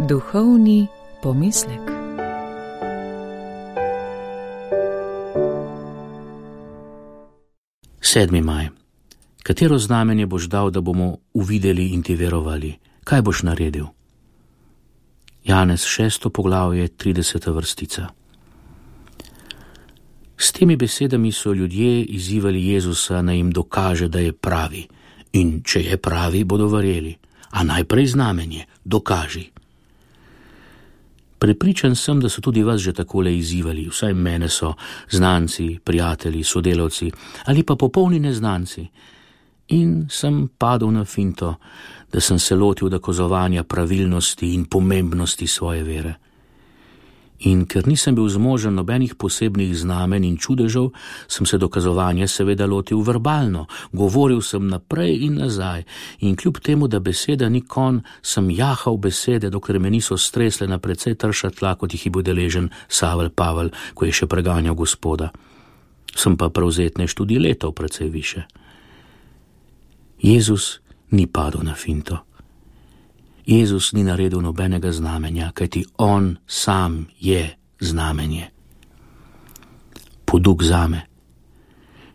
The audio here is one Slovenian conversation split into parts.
Duhovni pomislek. Sedmi maj. Katero znamenje boš dal, da bomo uvideli in ti verovali? Kaj boš naredil? Janez 6. poglavje, 30. vrstica. S temi besedami so ljudje izzivali Jezusa, naj jim dokaže, da je pravi. In če je pravi, bodo verjeli. A najprej znamenje, dokaži. Prepričan sem, da so tudi vas že takole izzivali, vsaj mene so, znanci, prijatelji, sodelavci ali pa popolni neznanci. In sem padel na finto, da sem se lotil dokazovanja pravilnosti in pomembnosti svoje vere. In ker nisem bil zmožen nobenih posebnih znamen in čudežev, sem se dokazovanja seveda lotil verbalno, govoril sem naprej in nazaj in kljub temu, da beseda ni konj, sem jahal besede, dokler me niso stresle na precej trša tla, kot jih je bil deležen Savel Pavel, ko je še preganjal Gospoda. Sem pa prevzetnež tudi letov precej više. Jezus ni padel na finto. Jezus ni naredil nobenega znamenja, kajti on sam je znamenje. Poduk zame.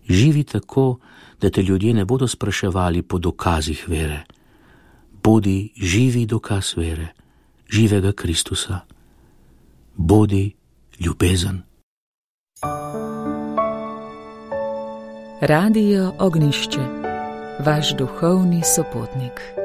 Živi tako, da te ljudje ne bodo spraševali po dokazih vere. Bodi živi dokaz vere, živega Kristusa. Bodi ljubezen. Radio Ognjišče, vaš duhovni sopotnik.